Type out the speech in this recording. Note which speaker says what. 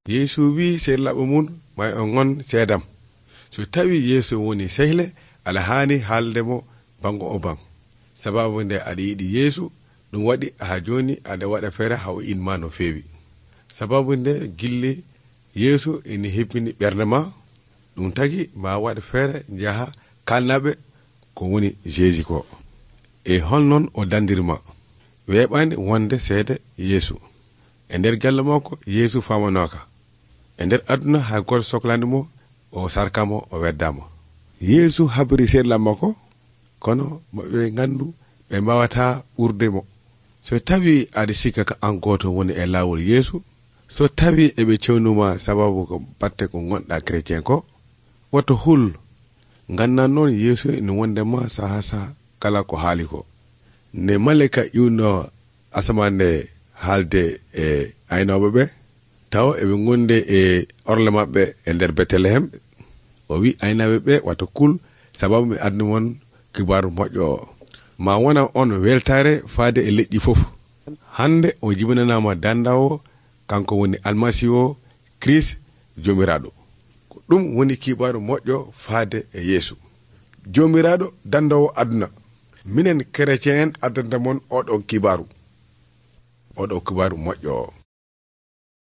Speaker 1: Yeesu wi sehlaɓe mum may on ngon seedam. So tawi Yeesu woni sehle alhaani haaldemo bango o ban. Sababu nde aɗa yiɗi Yeesu ɗum waɗi ha joni aɗa waɗa feere ha o inma no feewi. Sababu nde gilli Yeesu ina hebbini ɓernde ma, ɗum tagi ma waɗa feere jaha kalnaɓe ko woni Jésus ko. E holnon o dandirma weeɓani wonde seede Yeesu. E nder galle makko Yeesu famanoka. E nder aduna hay goto sohlani mo o sarkamo o weddama. Yeesu habri seeɗa makko kono maɓe gandu ɓe mbawata ɓurde mo. So tawi aɗa sikka ka an goto woni e lawol Yeesu, so tawi eɓe cewnuma sababu ko batte ko gonɗa chrétien ko, woto hul gannan noon Yeesu ina wonde ma saha saha kala ko haali ko. Ne malika iwno asamande haalde e aynoɓe ɓe, taw eɓe gonde e orle maɓɓe e nder Betelehem, o wi aynaɓe ɓe wata kul sababu mi adni won kibaru moƴƴo o. Ma wona on weltare faade e leƴƴi fof. Hande o jibinanama dandawo kanko woni almasihu Christ jomiraɗo. Ko ɗum woni kibaru moƴƴo faade e Yeesu jomiraɗo dandawo aduna. Minen chrétien en addanta mon oɗon kibaru moƴƴo o.